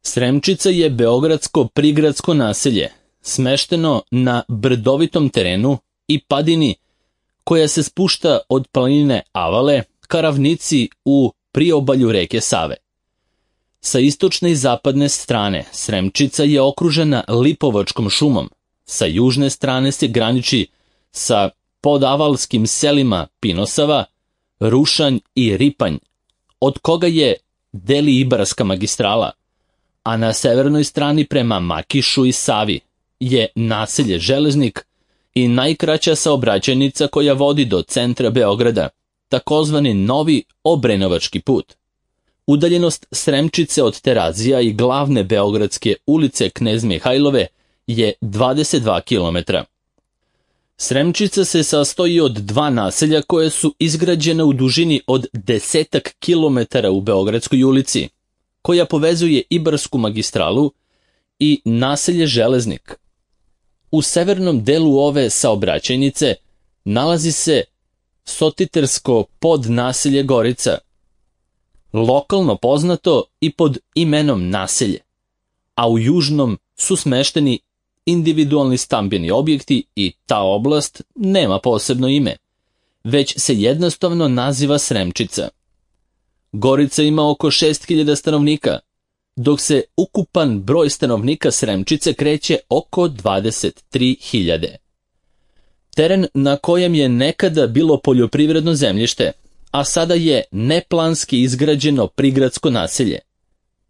Sremčica je beogradsko prigradsko naselje, smešteno na brdovitom terenu i padini koja se spušta od planine Avale ka ravnici u priobalju reke Save. Sa istočne i zapadne strane Sremčica je okružena Lipovačkom šumom, sa južne strane se graniči sa podavalskim selima Pinosava, Rušanj i Ripanj, od koga je deli Ibarska magistrala, a na severnoj strani prema Makišu i Savi je naselje Železnik i najkraća saobraćajnica koja vodi do centra Beograda, takozvani Novi Obrenovački put. Udaljenost Sremčice od Terazija i glavne beogradske ulice Knez Mihajlove je 22 km. Sremčica se sastoji od dva naselja koje su izgrađena u dužini od 10 kilometara u Beogradskoj ulici, koja povezuje Ibarsku magistralu i naselje Železnik. U severnom delu ove saobraćajnice nalazi se Sotitersko podnaselje Gorica, lokalno poznato i pod imenom naselje, a u južnom su smešteni individualni stambeni objekti i ta oblast nema posebno ime, već se jednostavno naziva Sremčica. Gorica ima oko 6000 stanovnika, dok se ukupan broj stanovnika Sremčice kreće oko 23.000. Teren na kojem je nekada bilo poljoprivredno zemljište, a sada je neplanski izgrađeno prigradsko naselje,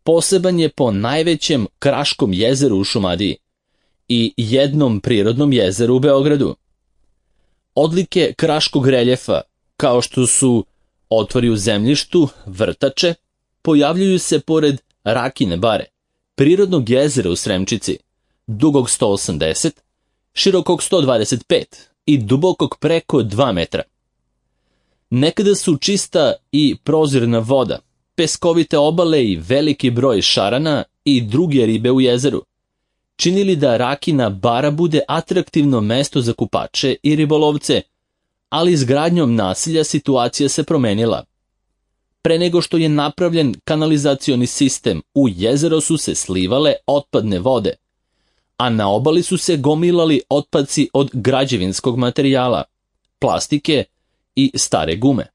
poseban je po najvećem Kraškom jezeru u Šumadiji i jednom prirodnom jezeru u Beogradu. Odlike kraškog reljefa, kao što su otvori u zemljištu, vrtače, pojavljuju se pored Rakine bare, prirodnog jezera u Sremčici, dugog 180, širokog 125 i dubokog preko 2 metra. Nekada su čista i prozirna voda, peskovite obale i veliki broj šarana i druge ribe u jezeru činili da Rakina bara bude atraktivno mesto za kupače i ribolovce, ali izgradnjom naselja situacija se promenila. Pre nego što je napravljen kanalizacioni sistem, u jezero su se slivale otpadne vode, a na obali su se gomilali otpadci od građevinskog materijala, plastike i stare gume.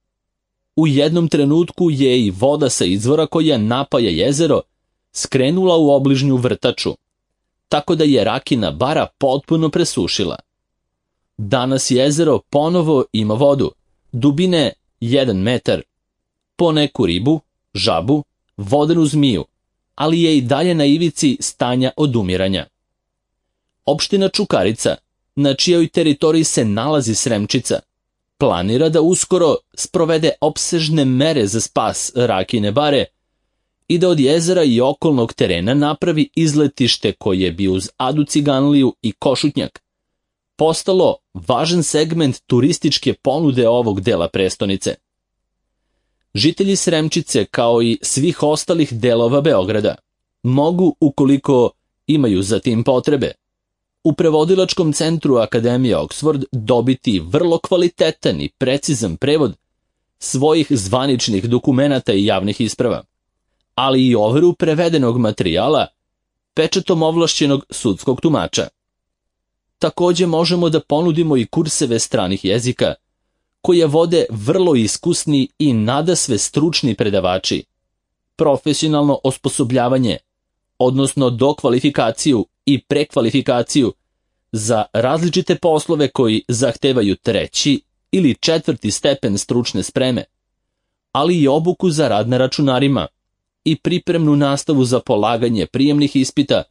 U jednom trenutku je i voda sa izvora koja napaja jezero skrenula u obližnju vrtaču, tako da je Rakina bara potpuno presušila. Danas jezero ponovo ima vodu, dubine 1 metar, poneku ribu, žabu, vodenu zmiju, ali je i dalje na ivici stanja odumiranja. Opština Čukarica, na čijoj teritoriji se nalazi Sremčica, planira da uskoro sprovede opsežne mere za spas Rakine bare i da od jezera i okolnog terena napravi izletište koje bi uz Adu Ciganliju i Košutnjak postalo važan segment turističke ponude ovog dela prestonice. Žitelji Sremčice, kao i svih ostalih delova Beograda, mogu, ukoliko imaju za tim potrebe, u prevodilačkom centru Akademije Oxford dobiti vrlo kvalitetan i precizan prevod svojih zvaničnih dokumenata i javnih isprava, ali i overu prevedenog materijala pečatom ovlašćenog sudskog tumača. Takođe možemo da ponudimo i kurseve stranih jezika, koje vode vrlo iskusni i nadasve stručni predavači, profesionalno osposobljavanje, odnosno dokvalifikaciju i prekvalifikaciju za različite poslove koji zahtevaju 3. ili 4. stepen stručne spreme, ali i obuku za rad na računarima i pripremnu nastavu za polaganje prijemnih ispita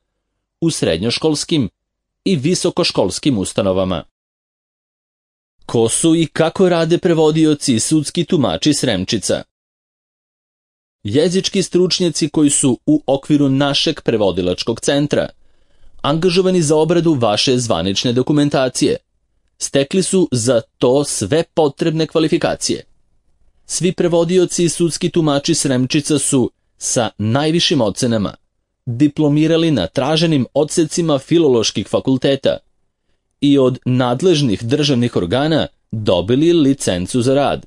u srednjoškolskim i visokoškolskim ustanovama. Ko su i kako rade prevodioci i sudski tumači Sremčica? Jezički stručnjaci koji su u okviru našeg prevodilačkog centra angažovani za obradu vaše zvanične dokumentacije, stekli su za to sve potrebne kvalifikacije. Svi prevodioci i sudski tumači Sremčica su sa najvišim ocenama diplomirali na traženim odsecima filoloških fakulteta i od nadležnih državnih organa dobili licencu za rad.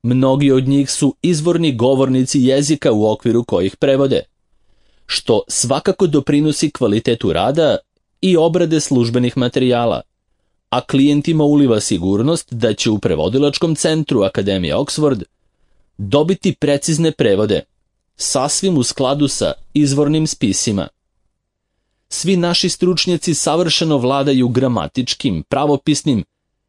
Mnogi od njih su izvorni govornici jezika u okviru kojih prevode. što svakako doprinosi kvalitetu rada i obrade službenih materijala, a klijentima uliva sigurnost da će u prevodilačkom centru Akademije Oxford dobiti precizne prevode, sasvim u skladu sa izvornim spisima. Svi naši stručnjaci savršeno vladaju gramatičkim, pravopisnim,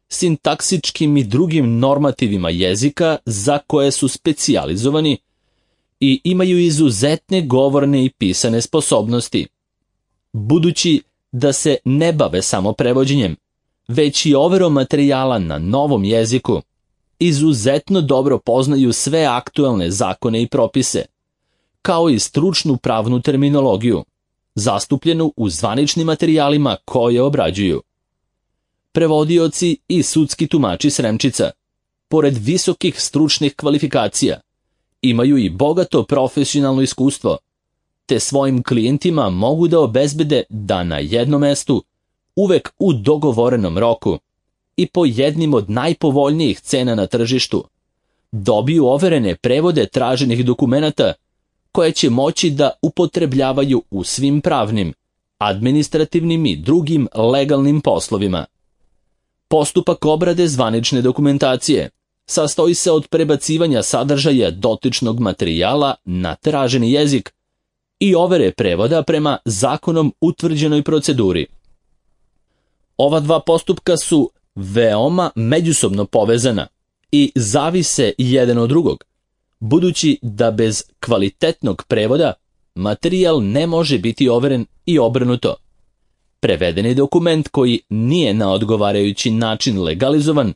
sintaksičkim i drugim normativima jezika za koje su specijalizovani i imaju izuzetne govorne i pisane sposobnosti. Budući da se ne bave samo prevođenjem, već i overom materijala na novom jeziku, izuzetno dobro poznaju sve aktuelne zakone i propise, kao i stručnu pravnu terminologiju, zastupljenu u zvaničnim materijalima koje obrađuju. Prevodioci i sudski tumači Sremčica, pored visokih stručnih kvalifikacija, imaju i bogato profesionalno iskustvo, te svojim klijentima mogu da obezbede da na jednom mestu, uvek u dogovorenom roku i po jednim od najpovoljnijih cena na tržištu, dobiju overene prevode traženih dokumenata koje će moći da upotrebljavaju u svim pravnim, administrativnim i drugim legalnim poslovima. Postupak obrade zvanične dokumentacije sastoji se od prebacivanja sadržaja dotičnog materijala na traženi jezik i overe prevoda prema zakonom utvrđenoj proceduri. Ova dva postupka su veoma međusobno povezana i zavise jedan od drugog, budući da bez kvalitetnog prevoda materijal ne može biti overen i obrnuto. Prevedeni dokument koji nije na odgovarajući način legalizovan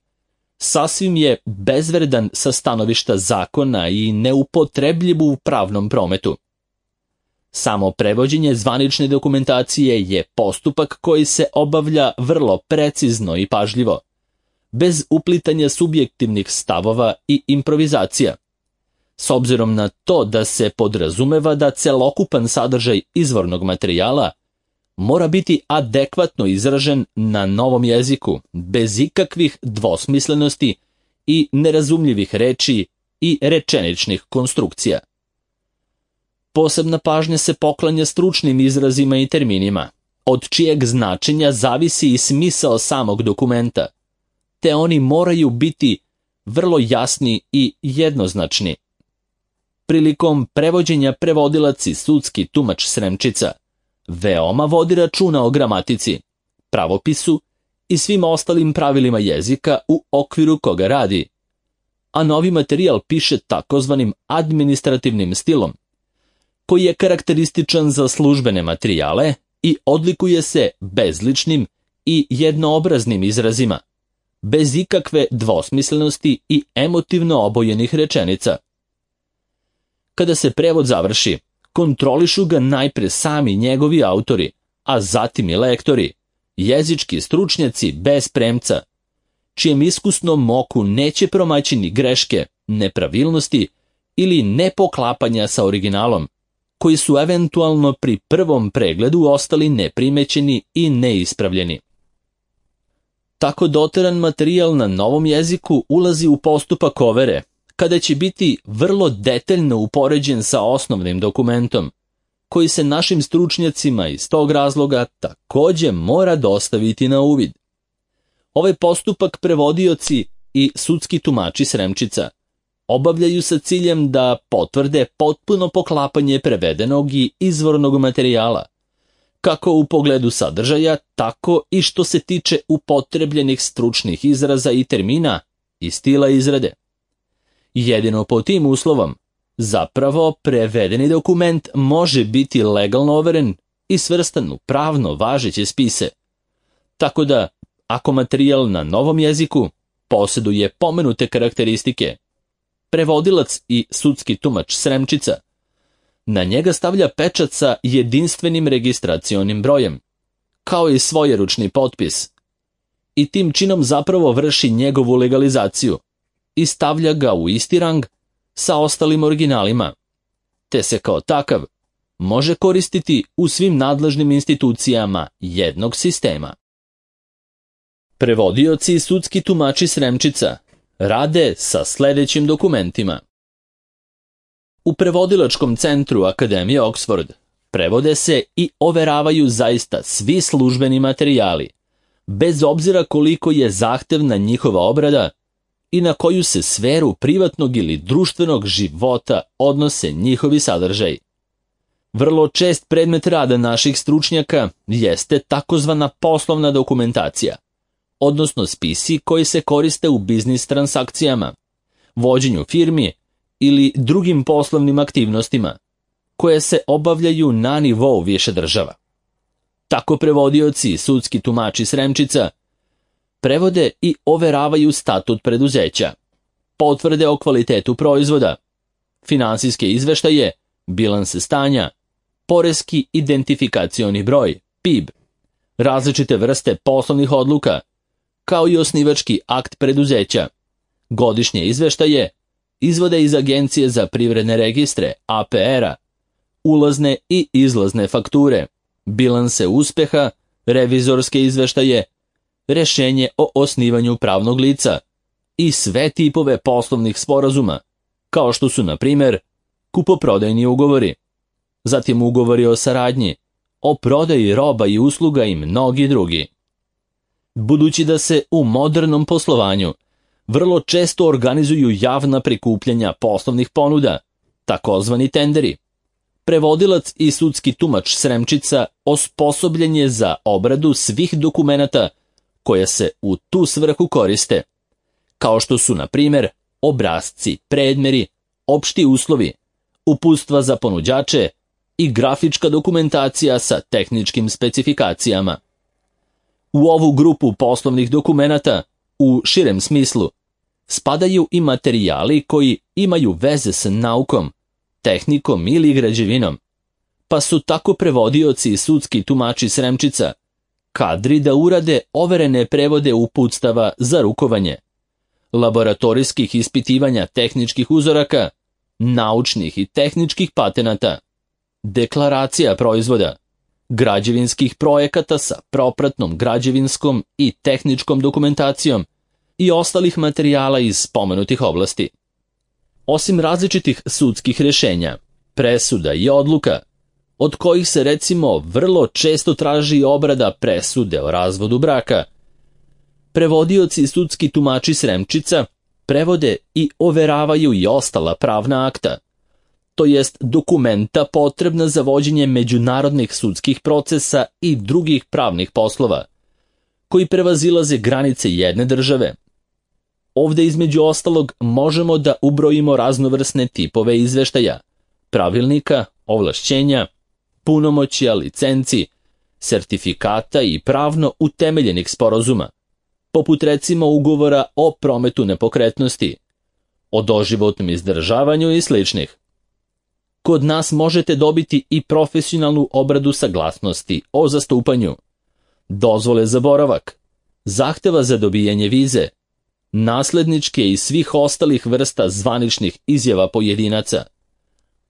sasvim je bezvredan sa stanovišta zakona i neupotrebljiv u pravnom prometu. Samo prevođenje zvanične dokumentacije je postupak koji se obavlja vrlo precizno i pažljivo, bez uplitanja subjektivnih stavova i improvizacija. S obzirom na to da se podrazumeva da celokupan sadržaj izvornog materijala mora biti adekvatno izražen na novom jeziku, bez ikakvih dvosmislenosti i nerazumljivih reči i rečeničnih konstrukcija. Posebna pažnja se poklanja stručnim izrazima i terminima, od čijeg značenja zavisi i smisao samog dokumenta, te oni moraju biti vrlo jasni i jednoznačni. Prilikom prevođenja prevodilac i sudski tumač Sremčica veoma vodi računa o gramatici, pravopisu i svim ostalim pravilima jezika u okviru koga radi, a novi materijal piše takozvanim administrativnim stilom, koji je karakterističan za službene materijale i odlikuje se bezličnim i jednoobraznim izrazima, bez ikakve dvosmislenosti i emotivno obojenih rečenica. Kada se prevod završi, kontrolišu ga najpre sami njegovi autori, a zatim i lektori, jezički stručnjaci bez premca, čijem iskusnom oku neće promaći ni greške, nepravilnosti ili nepoklapanja sa originalom, koji su eventualno pri prvom pregledu ostali neprimećeni i neispravljeni. Tako doteran materijal na novom jeziku ulazi u postupak overe, kada će biti vrlo detaljno upoređen sa osnovnim dokumentom, koji se našim stručnjacima iz tog razloga takođe mora dostaviti na uvid. Ovaj postupak prevodioci i sudski tumači Sremčica obavljaju sa ciljem da potvrde potpuno poklapanje prevedenog i izvornog materijala, kako u pogledu sadržaja, tako i što se tiče upotrebljenih stručnih izraza i termina i stila izrade. Jedino po tim uslovom, zapravo prevedeni dokument može biti legalno overen i svrstan u pravno važeće spise. Tako da, ako materijal na novom jeziku posjeduje pomenute karakteristike, prevodilac i sudski tumač Sremčica na njega stavlja pečat sa jedinstvenim registracionim brojem, kao i svojeručni potpis, i tim činom zapravo vrši njegovu legalizaciju i stavlja ga u isti rang sa ostalim originalima, te se kao takav može koristiti u svim nadležnim institucijama jednog sistema. Prevodioci i sudski tumači Sremčica rade sa sledećim dokumentima. U prevodilačkom centru Akademije Oxford Prevode se i overavaju zaista svi službeni materijali, bez obzira koliko je zahtevna njihova obrada i na koju se sferu privatnog ili društvenog života odnose njihovi sadržaji. Vrlo čest predmet rada naših stručnjaka jeste takozvana poslovna dokumentacija, odnosno spisi koji se koriste u biznis transakcijama, vođenju firmi ili drugim poslovnim aktivnostima, koje se obavljaju na nivou više država. Tako prevodioci i sudski tumači Sremčica prevode i overavaju statut preduzeća, potvrde o kvalitetu proizvoda, finansijske izveštaje, bilanse stanja, poreski identifikacioni broj, PIB, različite vrste poslovnih odluka, kao i osnivački akt preduzeća, godišnje izveštaje, izvode iz Agencije za privredne registre, APR-a, ulazne i izlazne fakture, bilanse uspeha, revizorske izveštaje, rešenje o osnivanju pravnog lica i sve tipove poslovnih sporazuma, kao što su, na primjer, kupoprodajni ugovori, zatim ugovori o saradnji, o prodaji roba i usluga i mnogi drugi. Budući da se u modernom poslovanju vrlo često organizuju javna prikupljanja poslovnih ponuda, takozvani tenderi, prevodilac i sudski tumač Sremčica osposobljen je za obradu svih dokumenata koja se u tu svrhu koriste, kao što su, na primjer, obrasci, predmeri, opšti uslovi, uputstva za ponuđače i grafička dokumentacija sa tehničkim specifikacijama. U ovu grupu poslovnih dokumenata, u širem smislu, spadaju i materijali koji imaju veze s naukom, tehnikom ili građevinom, pa su tako prevodioci i sudski tumači Sremčica kadri da urade overene prevode uputstava za rukovanje, laboratorijskih ispitivanja tehničkih uzoraka, naučnih i tehničkih patenata, deklaracija proizvoda, građevinskih projekata sa propratnom građevinskom i tehničkom dokumentacijom i ostalih materijala iz spomenutih oblasti. Osim različitih sudskih rešenja, presuda i odluka, od kojih se recimo vrlo često traži obrada presude o razvodu braka, prevodioci i sudski tumači Sremčica prevode i overavaju i ostala pravna akta, to jest dokumenta potrebna za vođenje međunarodnih sudskih procesa i drugih pravnih poslova, koji prevazilaze granice jedne države. Ovde između ostalog možemo da ubrojimo raznovrsne tipove izveštaja, pravilnika, ovlašćenja, punomoćja, licenci, sertifikata i pravno utemeljenih sporazuma, poput recimo ugovora o prometu nepokretnosti, o doživotnom izdržavanju i sličnih. Kod nas možete dobiti i profesionalnu obradu saglasnosti o zastupanju, dozvole za boravak, zahteva za dobijanje vize, nasledničke i svih ostalih vrsta zvaničnih izjava pojedinaca,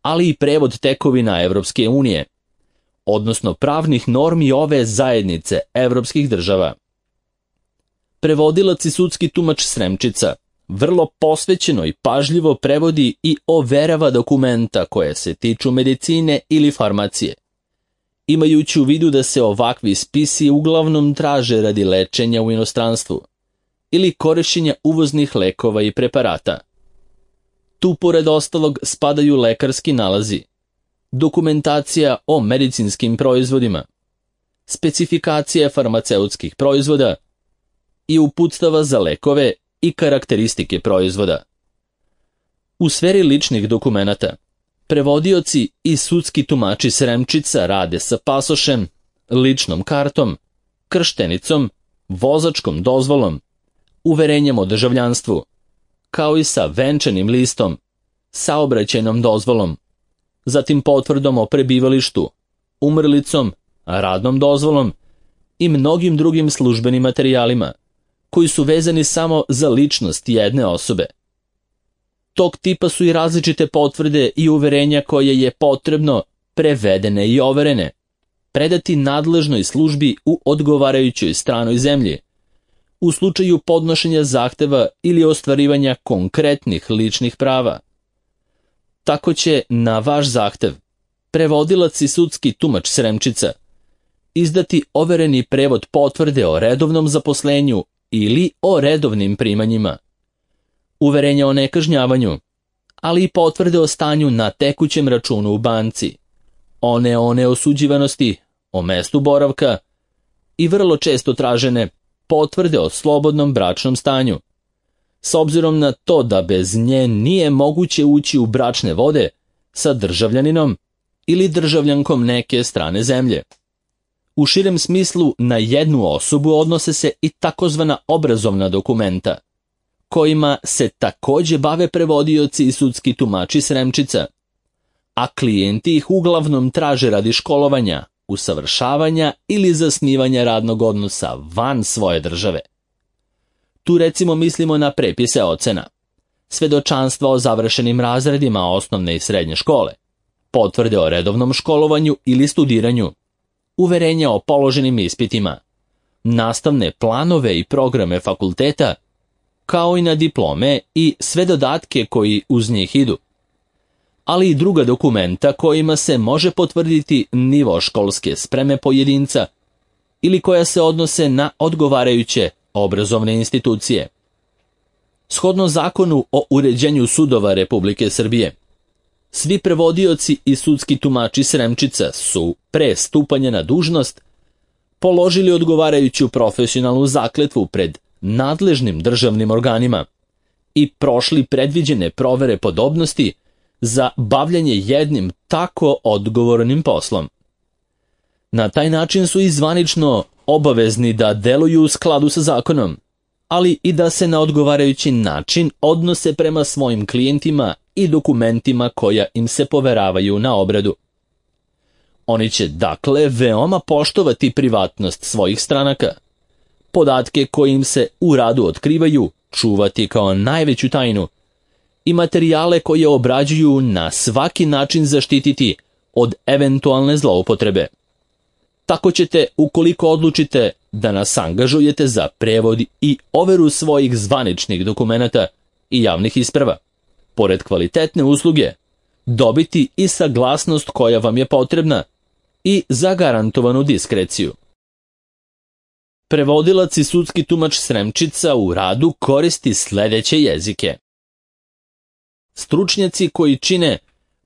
ali i prevod tekovina Evropske unije, odnosno pravnih normi ove zajednice evropskih država. Prevodilac i sudski tumač Sremčica vrlo posvećeno i pažljivo prevodi i overava dokumenta koje se tiču medicine ili farmacije, imajući u vidu da se ovakvi spisi uglavnom traže radi lečenja u inostranstvu ili korišćenja uvoznih lekova i preparata. Tu pored ostalog spadaju lekarski nalazi, dokumentacija o medicinskim proizvodima, specifikacije farmaceutskih proizvoda i uputstava za lekove i karakteristike proizvoda. U sferi ličnih dokumenata, prevodioci i sudski tumači Sremčica rade sa pasošem, ličnom kartom, krštenicom, vozačkom dozvolom, uverenjem o državljanstvu, kao i sa venčanim listom, saobraćajnom dozvolom, zatim potvrdom o prebivalištu, umrlicom, radnom dozvolom i mnogim drugim službenim materijalima, koji su vezani samo za ličnost jedne osobe. Tog tipa su i različite potvrde i uverenja koje je potrebno, prevedene i overene, predati nadležnoj službi u odgovarajućoj stranoj zemlji, u slučaju podnošenja zahteva ili ostvarivanja konkretnih ličnih prava. Tako će na vaš zahtev prevodilac i sudski tumač Sremčica, izdati overeni prevod potvrde o redovnom zaposlenju ili o redovnim primanjima, uverenja o nekažnjavanju, ali i potvrde o stanju na tekućem računu u banci, one osuđivanosti, o mestu boravka i vrlo često tražene potvrde o slobodnom bračnom stanju, s obzirom na to da bez nje nije moguće ući u bračne vode sa državljaninom ili državljankom neke strane zemlje. U širem smislu na jednu osobu odnose se i takozvana obrazovna dokumenta, kojima se također bave prevodioci i sudski tumači Sremčica, a klijenti ih uglavnom traže radi školovanja, usavršavanja ili zasnivanja radnog odnosa van svoje države. Tu recimo mislimo na prepise ocena, svedočanstva o završenim razredima osnovne i srednje škole, potvrde o redovnom školovanju ili studiranju, uverenja o položenim ispitima, nastavne planove i programe fakulteta, kao i na diplome i sve dodatke koji uz njih idu, ali i druga dokumenta kojima se može potvrditi nivo školske spreme pojedinca ili koja se odnose na odgovarajuće obrazovne institucije. Shodno Zakonu o uređenju sudova Republike Srbije, svi prevodioci i sudski tumači Sremčica su pre stupanja na dužnost položili odgovarajuću profesionalnu zakletvu pred nadležnim državnim organima i prošli predviđene provere podobnosti za bavljanje jednim tako odgovornim poslom. Na taj način su i zvanično obavezni da deluju u skladu sa zakonom, ali i da se na odgovarajući način odnose prema svojim klijentima i dokumentima koja im se poveravaju na obradu. Oni će dakle veoma poštovati privatnost svojih stranaka, podatke koji im se u radu otkrivaju čuvati kao najveću tajnu i materijale koje obrađuju na svaki način zaštititi od eventualne zloupotrebe. Tako ćete, ukoliko odlučite da nas angažujete za prevod i overu svojih zvaničnih dokumenata i javnih isprava, pored kvalitetne usluge, dobiti i saglasnost koja vam je potrebna i zagarantovanu diskreciju. Prevodilac i sudski tumač Sremčica u radu koristi sljedeće jezike. Stručnjaci koji čine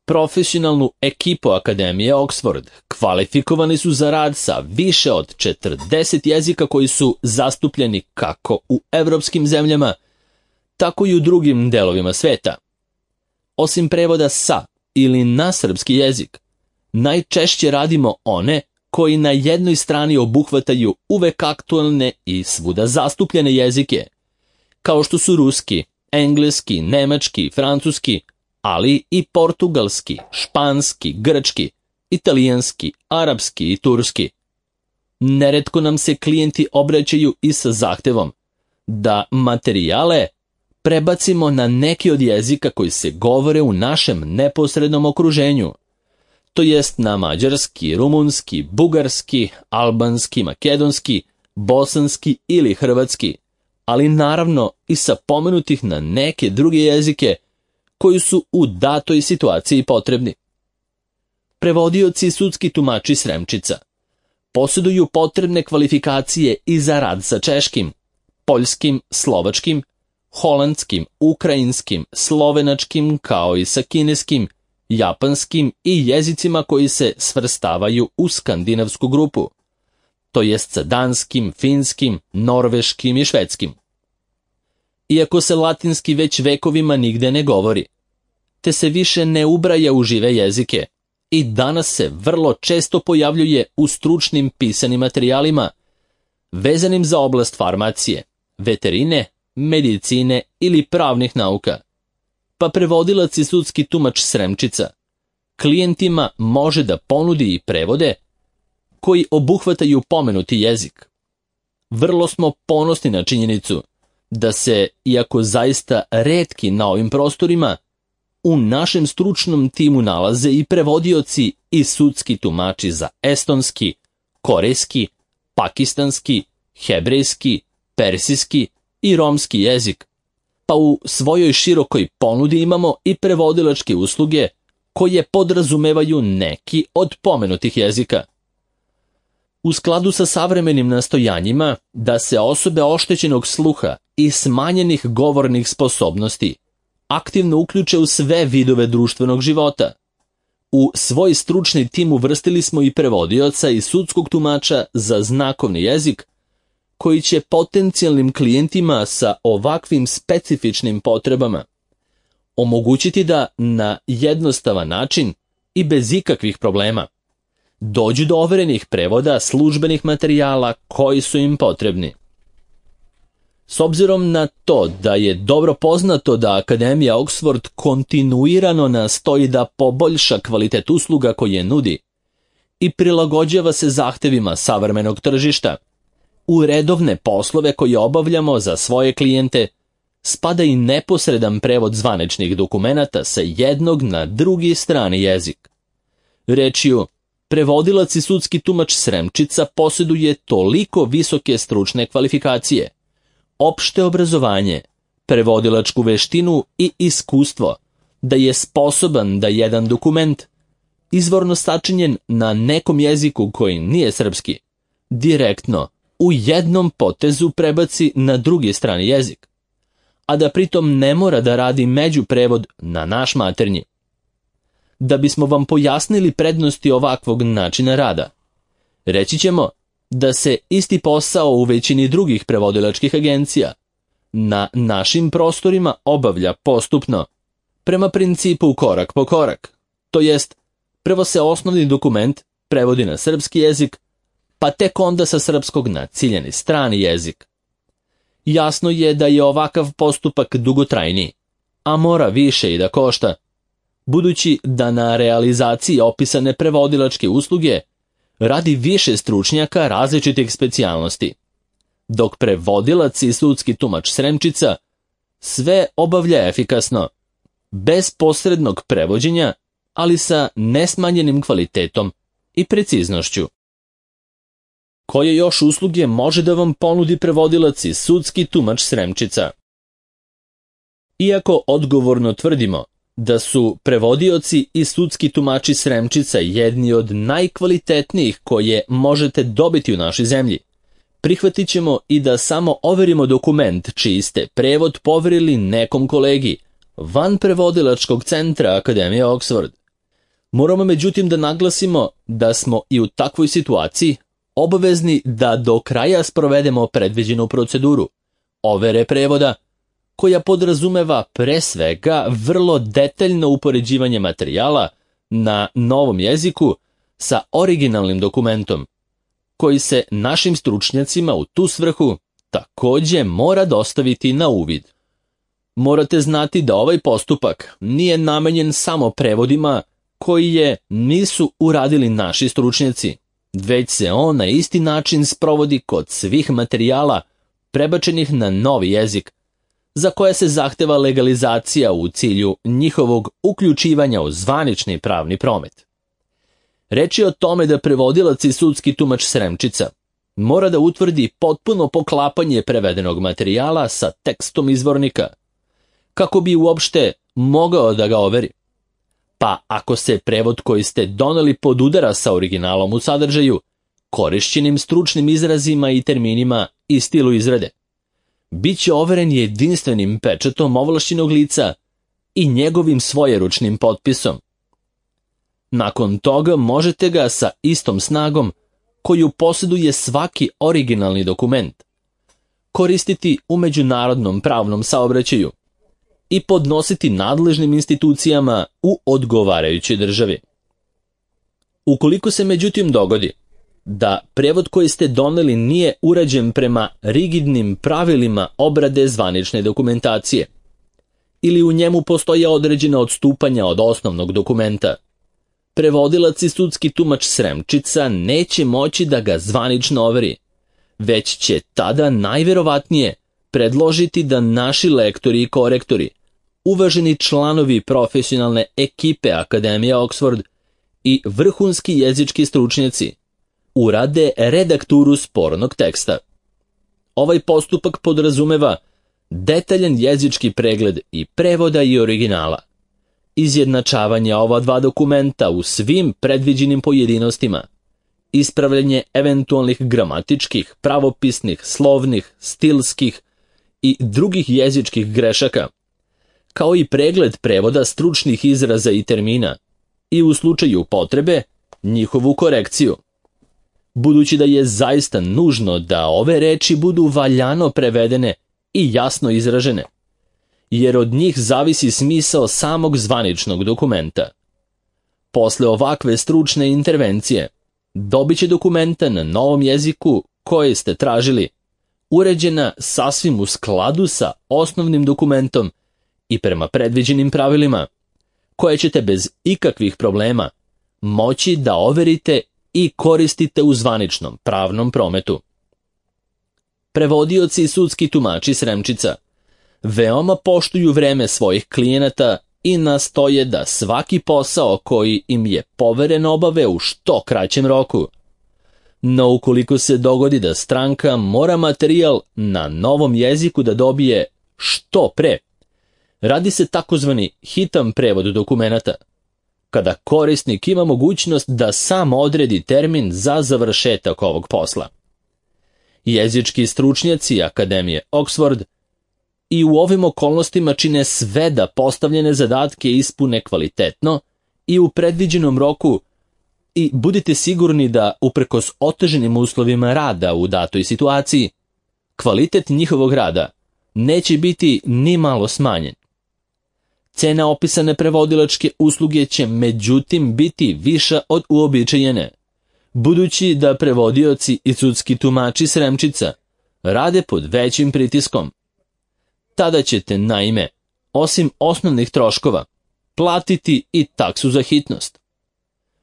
profesionalnu ekipu Akademije Oxford kvalifikovani su za rad sa više od 40 jezika koji su zastupljeni kako u evropskim zemljama, tako i u drugim delovima sveta. Osim prevoda sa ili na srpski jezik, najčešće radimo one koji na jednoj strani obuhvataju uvek aktualne i svuda zastupljene jezike, kao što su ruski, engleski, nemački, francuski, ali i portugalski, španski, grčki, italijanski, arapski i turski. Neretko nam se klijenti obraćaju i sa zahtevom da materijale prebacimo na neki od jezika koji se govore u našem neposrednom okruženju, to jest na mađarski, rumunski, bugarski, albanski, makedonski, bosanski ili hrvatski, ali naravno i sa pomenutih na neke druge jezike koji su u datoj situaciji potrebni. Prevodioci i sudski tumači Sremčica posjeduju potrebne kvalifikacije i za rad sa češkim, poljskim, slovačkim, holandskim, ukrajinskim, slovenačkim kao i sa kineskim, japanskim i jezicima koji se svrstavaju u skandinavsku grupu, to jest sa danskim, finskim, norveškim i švedskim. Iako se latinski već vekovima nigde ne govori, te se više ne ubraja u žive jezike i danas se vrlo često pojavljuje u stručnim pisanim materijalima vezanim za oblast farmacije, veterine, medicine ili pravnih nauka, pa prevodilac i sudski tumač Sremčica klijentima može da ponudi i prevode koji obuhvataju pomenuti jezik. Vrlo smo ponosni na činjenicu da se, iako zaista retki na ovim prostorima, u našem stručnom timu nalaze i prevodioci i sudski tumači za estonski, korejski, pakistanski, hebrejski, persijski i romski jezik, pa u svojoj širokoj ponudi imamo i prevodilačke usluge koje podrazumevaju neki od pomenutih jezika. U skladu sa savremenim nastojanjima da se osobe oštećenog sluha i smanjenih govornih sposobnosti aktivno uključe u sve vidove društvenog života, u svoj stručni tim uvrstili smo i prevodioca i sudskog tumača za znakovni jezik, koji će potencijalnim klijentima sa ovakvim specifičnim potrebama omogućiti da na jednostavan način i bez ikakvih problema dođu do overenih prevoda službenih materijala koji su im potrebni. S obzirom na to da je dobro poznato da Akademija Oxford kontinuirano nastoji da poboljša kvalitet usluga koje nudi i prilagođava se zahtevima savremenog tržišta, u redovne poslove koje obavljamo za svoje klijente spada i neposredan prevod zvaničnih dokumenata sa jednog na drugi strani jezik. Rečju, prevodilac i sudski tumač Sremčica posjeduje toliko visoke stručne kvalifikacije, opšte obrazovanje, prevodilačku veštinu i iskustvo, da je sposoban da jedan dokument, izvorno sačinjen na nekom jeziku koji nije srpski, direktno u jednom potezu prebaci na drugi strani jezik, a da pritom ne mora da radi međuprevod na naš maternji. Da bismo vam pojasnili prednosti ovakvog načina rada, reći ćemo da se isti posao u većini drugih prevodilačkih agencija na našim prostorima obavlja postupno, prema principu korak po korak, to jest prvo se osnovni dokument prevodi na srpski jezik, pa tek onda sa srpskog na ciljani strani jezik. Jasno je da je ovakav postupak dugotrajniji, a mora više i da košta, budući da na realizaciji opisane prevodilačke usluge radi više stručnjaka različitih specijalnosti, dok prevodilac i sudski tumač Sremčica sve obavlja efikasno, bez posrednog prevođenja, ali sa nesmanjenim kvalitetom i preciznošću. Koje još usluge može da vam ponudi prevodilac i sudski tumač Sremčica? Iako odgovorno tvrdimo da su prevodioci i sudski tumači Sremčica jedni od najkvalitetnijih koje možete dobiti u našoj zemlji, prihvatit ćemo i da samo overimo dokument čiji ste prevod poverili nekom kolegi van prevodilačkog centra Akademije Oxford. Moramo međutim da naglasimo da smo i u takvoj situaciji obavezni da do kraja sprovedemo predviđenu proceduru overe prevoda, koja podrazumeva pre svega vrlo detaljno upoređivanje materijala na novom jeziku sa originalnim dokumentom, koji se našim stručnjacima u tu svrhu takođe mora dostaviti na uvid. Morate znati da ovaj postupak nije namenjen samo prevodima koji je nisu uradili naši stručnjaci, već se on na isti način sprovodi kod svih materijala prebačenih na novi jezik, za koje se zahteva legalizacija u cilju njihovog uključivanja u zvanični pravni promet. Reč je o tome da prevodilac i sudski tumač Sremčica mora da utvrdi potpuno poklapanje prevedenog materijala sa tekstom izvornika, kako bi uopšte mogao da ga overi. Pa ako se prevod koji ste doneli podudara sa originalom u sadržaju, korišćenim stručnim izrazima i terminima i stilu izrade, bit će overen jedinstvenim pečatom ovlašćenog lica i njegovim svojeručnim potpisom. Nakon toga možete ga sa istom snagom, koju posjeduje svaki originalni dokument, koristiti u međunarodnom pravnom saobraćaju i podnositi nadležnim institucijama u odgovarajućoj državi. Ukoliko se međutim dogodi da prevod koji ste doneli nije urađen prema rigidnim pravilima obrade zvanične dokumentacije, ili u njemu postoje određena odstupanja od osnovnog dokumenta, prevodilac i sudski tumač Sremčica neće moći da ga zvanično overi, već će tada najverovatnije predložiti da naši lektori i korektori, uvaženi članovi profesionalne ekipe Akademije Oxford i vrhunski jezički stručnjaci urade redakturu spornog teksta. Ovaj postupak podrazumeva detaljan jezički pregled i prevoda i originala, izjednačavanje ova dva dokumenta u svim predviđenim pojedinostima, ispravljanje eventualnih gramatičkih, pravopisnih, slovnih, stilskih i drugih jezičkih grešaka, kao i pregled prevoda stručnih izraza i termina i u slučaju potrebe njihovu korekciju. Budući da je zaista nužno da ove reči budu valjano prevedene i jasno izražene, jer od njih zavisi smisao samog zvaničnog dokumenta. Posle ovakve stručne intervencije, dobit će dokumenta na novom jeziku koje ste tražili, uređena sasvim u skladu sa osnovnim dokumentom i prema predviđenim pravilima, koje ćete bez ikakvih problema moći da overite i koristite u zvaničnom pravnom prometu. Prevodioci i sudski tumači Sremčica veoma poštuju vreme svojih klijenata i nastoje da svaki posao koji im je poveren obave u što kraćem roku. No ukoliko se dogodi da stranka mora materijal na novom jeziku da dobije što pre, radi se takozvani hitan prevod dokumenata, kada korisnik ima mogućnost da sam odredi termin za završetak ovog posla. Jezički stručnjaci Akademije Oxford i u ovim okolnostima čine sve da postavljene zadatke ispune kvalitetno i u predviđenom roku i budite sigurni da, uprkos oteženim uslovima rada u datoj situaciji, kvalitet njihovog rada neće biti ni malo smanjen. Cena opisane prevodilačke usluge će međutim biti viša od uobičajene, budući da prevodioci i sudski tumači Sremčica rade pod većim pritiskom. Tada ćete, naime, osim osnovnih troškova, platiti i taksu za hitnost.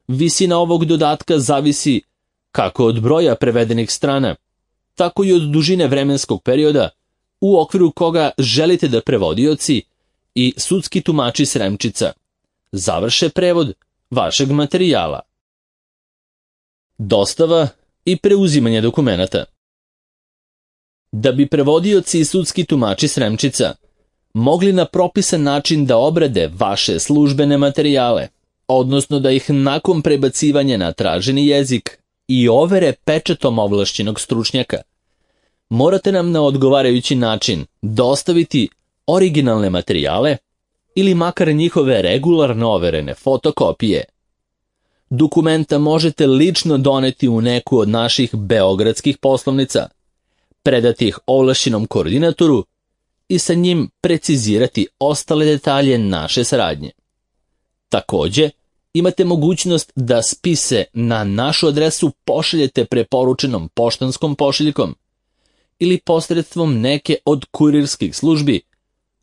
Visina ovog dodatka zavisi kako od broja prevedenih strana, tako i od dužine vremenskog perioda u okviru koga želite da prevodioci i sudski tumači Sremčica završe prevod vašeg materijala. Dostava i preuzimanje dokumenata. Da bi prevodioci i sudski tumači Sremčica mogli na propisan način da obrade vaše službene materijale, odnosno da ih nakon prebacivanja na traženi jezik i overe pečatom ovlašćenog stručnjaka, morate nam na odgovarajući način dostaviti originalne materijale ili makar njihove regularno overene fotokopije. Dokumenta možete lično doneti u neku od naših beogradskih poslovnica, predati ih ovlašćenom koordinatoru i sa njim precizirati ostale detalje naše saradnje. Takođe, imate mogućnost da spise na našu adresu pošaljete preporučenom poštanskom pošiljkom ili posredstvom neke od kurirskih službi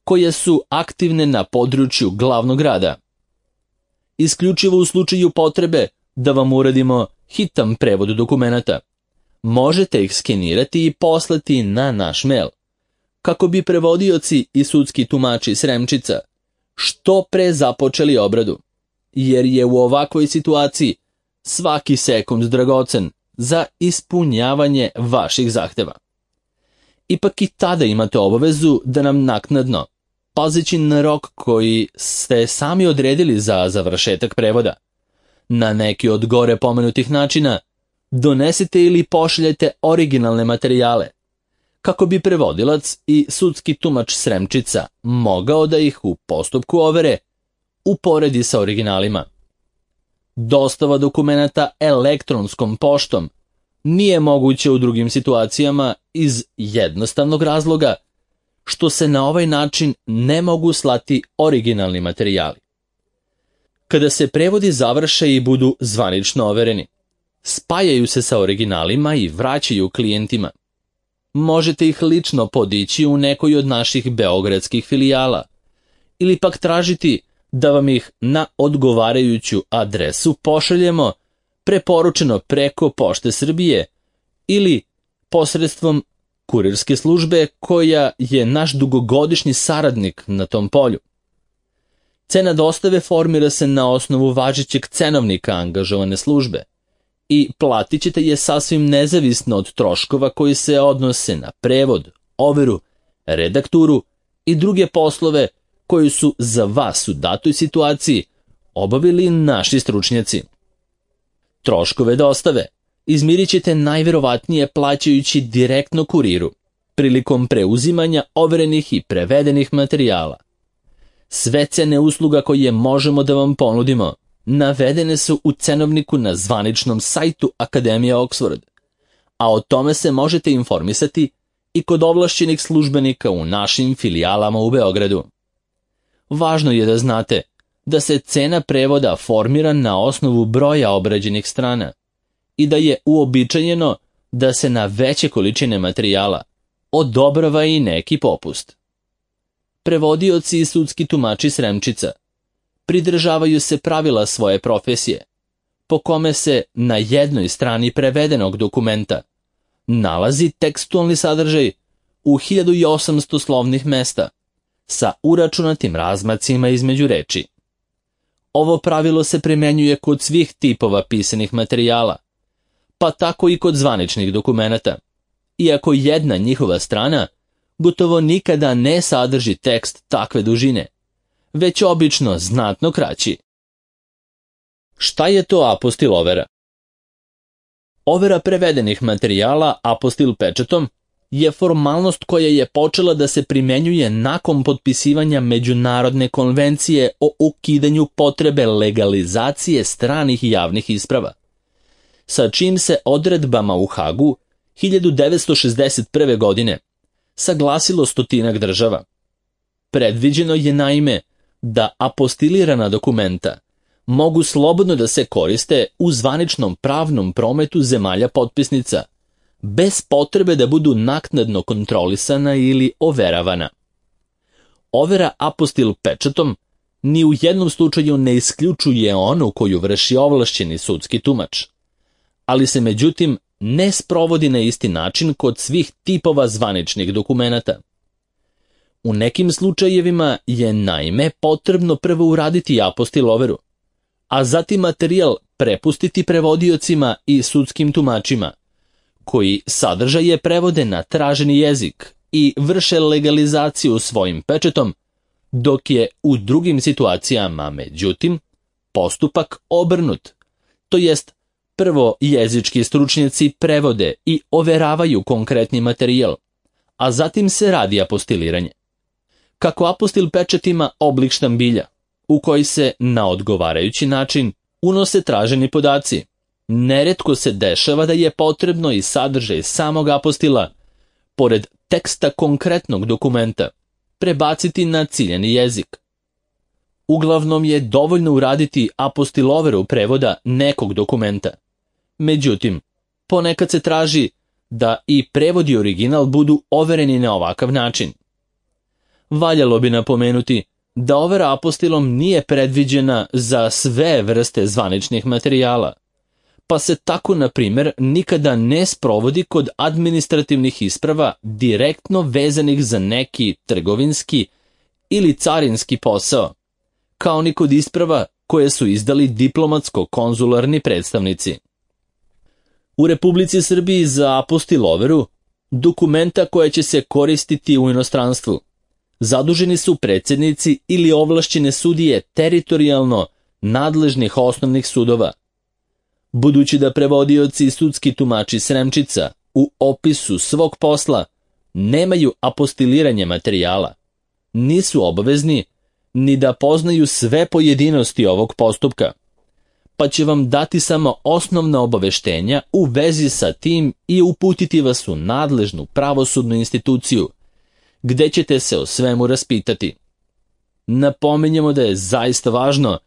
koje su aktivne na području glavnog grada. Isključivo u slučaju potrebe da vam uradimo hitan prevod dokumenata, možete ih skenirati i poslati na naš mail, kako bi prevodioci i sudski tumači Sremčica što pre započeli obradu, jer je u ovakvoj situaciji svaki sekund dragocen za ispunjavanje vaših zahteva. Ipak i tada imate obavezu da nam naknadno, pazeći na rok koji ste sami odredili za završetak prevoda, na neki od gore pomenutih načina, donesete ili pošaljete originalne materijale, kako bi prevodilac i sudski tumač Sremčica mogao da ih u postupku overe uporedi sa originalima. Dostava dokumenata elektronskom poštom nije moguće u drugim situacijama iz jednostavnog razloga što se na ovaj način ne mogu slati originalni materijali. Kada se prevodi završe i budu zvanično overeni, spajaju se sa originalima i vraćaju klijentima. Možete ih lično podići u nekoj od naših beogradskih filijala ili pak tražiti da vam ih na odgovarajuću adresu pošaljemo preporučeno preko Pošte Srbije ili posredstvom kurirske službe koja je naš dugogodišnji saradnik na tom polju. Cena dostave formira se na osnovu važećeg cenovnika angažovane službe i platit ćete je sasvim nezavisno od troškova koji se odnose na prevod, overu, redakturu i druge poslove koju su za vas u datoj situaciji obavili naši stručnjaci. Troškove dostave izmirit ćete najverovatnije plaćajući direktno kuriru prilikom preuzimanja overenih i prevedenih materijala. Sve cene usluga koje možemo da vam ponudimo navedene su u cenovniku na zvaničnom sajtu Akademije Oxford, a o tome se možete informisati i kod ovlašćenih službenika u našim filijalama u Beogradu. Važno je da znate da se cena prevoda formira na osnovu broja obrađenih strana i da je uobičajeno da se na veće količine materijala odobrava i neki popust. Prevodioci i sudski tumači Sremčica pridržavaju se pravila svoje profesije, po kome se na jednoj strani prevedenog dokumenta nalazi tekstualni sadržaj u 1800 slovnih mesta sa uračunatim razmacima između reči. Ovo pravilo se primenjuje kod svih tipova pisanih materijala, pa tako i kod zvaničnih dokumenata, iako jedna njihova strana gotovo nikada ne sadrži tekst takve dužine, već obično znatno kraći. Šta je to apostil overa? Overa prevedenih materijala apostil pečatom je formalnost koja je počela da se primenjuje nakon potpisivanja Međunarodne konvencije o ukidanju potrebe legalizacije stranih javnih isprava, sa čim se odredbama u Hagu 1961. godine saglasilo 100 država. Predviđeno je naime da apostilirana dokumenta mogu slobodno da se koriste u zvaničnom pravnom prometu zemalja potpisnica, bez potrebe da budu naknadno kontrolisana ili overavana. Overa apostil pečatom ni u jednom slučaju ne isključuje onu koju vrši ovlašćeni sudski tumač, ali se međutim ne sprovodi na isti način kod svih tipova zvaničnih dokumenata. U nekim slučajevima je naime potrebno prvo uraditi apostil overu, a zatim materijal prepustiti prevodiocima i sudskim tumačima, koji sadržaje prevode na traženi jezik i vrše legalizaciju svojim pečatom, dok je u drugim situacijama, međutim, postupak obrnut, to jest prvo jezički stručnjaci prevode i overavaju konkretni materijal, a zatim se radi apostiliranje. Kako apostil pečat ima oblik štambilja, u koji se na odgovarajući način unose traženi podaci, neretko se dešava da je potrebno i sadržaj samog apostila, pored teksta konkretnog dokumenta, prebaciti na ciljani jezik. Uglavnom je dovoljno uraditi apostil overu prevoda nekog dokumenta. Međutim, ponekad se traži da i prevod i original budu overeni na ovakav način. Valjalo bi napomenuti da overa apostilom nije predviđena za sve vrste zvaničnih materijala, pa se tako, na primjer, nikada ne sprovodi kod administrativnih isprava direktno vezanih za neki trgovinski ili carinski posao, kao ni kod isprava koje su izdali diplomatsko-konzularni predstavnici. U Republici Srbiji za apostil overu dokumenta koja će se koristiti u inostranstvu zaduženi su predsjednici ili ovlašćene sudije teritorijalno nadležnih osnovnih sudova. Budući da prevodioci i sudski tumači Sremčica u opisu svog posla nemaju apostiliranje materijala, nisu obavezni ni da poznaju sve pojedinosti ovog postupka, pa će vam dati samo osnovna obaveštenja u vezi sa tim i uputiti vas u nadležnu pravosudnu instituciju, gde ćete se o svemu raspitati. Napominjemo da je zaista važno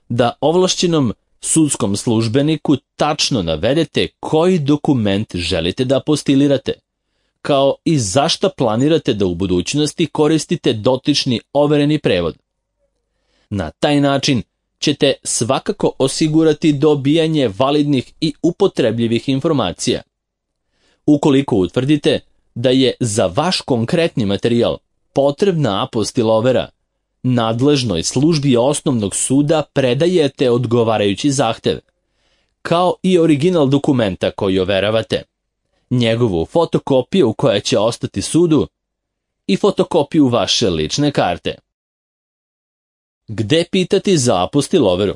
da ovlašćenom sudskom službeniku tačno navedete koji dokument želite da apostilirate, kao i zašta planirate da u budućnosti koristite dotični overeni prevod. Na taj način ćete svakako osigurati dobijanje validnih i upotrebljivih informacija. Ukoliko utvrdite da je za vaš konkretni materijal potrebna apostil overa, nadležnoj službi osnovnog suda predajete odgovarajući zahtev, kao i original dokumenta koji overavate, njegovu fotokopiju koja će ostati sudu i fotokopiju vaše lične karte. Gde pitati za apostiloveru?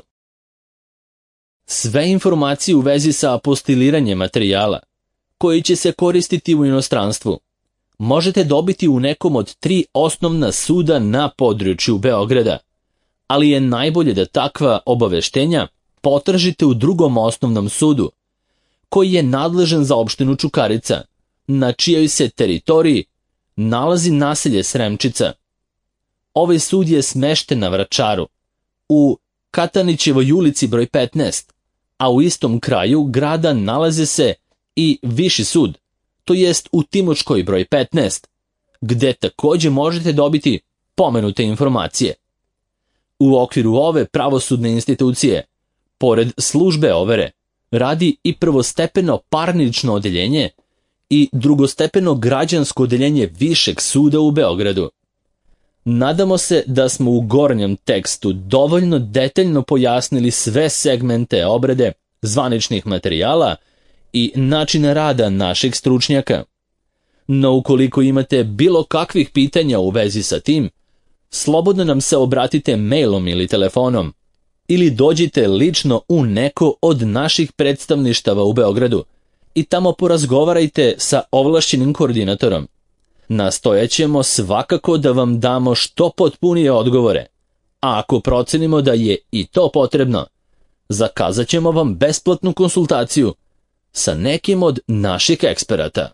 Sve informacije u vezi sa apostiliranjem materijala, koji će se koristiti u inostranstvu, možete dobiti u nekom od 3 osnovna suda na području Beograda, ali je najbolje da takva obaveštenja potražite u drugom osnovnom sudu, koji je nadležan za opštinu Čukarica, na čijoj se teritoriji nalazi naselje Sremčica. Ovaj sud je smešten na Vračaru, u Katanićevoj ulici broj 15, a u istom kraju grada nalaze se i Viši sud, to jest u Timočkoj broj 15, gde takođe možete dobiti pomenute informacije. U okviru ove pravosudne institucije, pored službe overe, radi i prvostepeno parnično odeljenje i drugostepeno građansko odeljenje Višeg suda u Beogradu. Nadamo se da smo u gornjem tekstu dovoljno detaljno pojasnili sve segmente obrade zvaničnih materijala i načina rada naših stručnjaka. No ukoliko imate bilo kakvih pitanja u vezi sa tim, slobodno nam se obratite mailom ili telefonom, ili dođite lično u neko od naših predstavništava u Beogradu i tamo porazgovarajte sa ovlašćenim koordinatorom. Nastojaćemo svakako da vam damo što potpunije odgovore, a ako procenimo da je i to potrebno, zakazat ćemo vam besplatnu konsultaciju sa nekim od naših eksperata.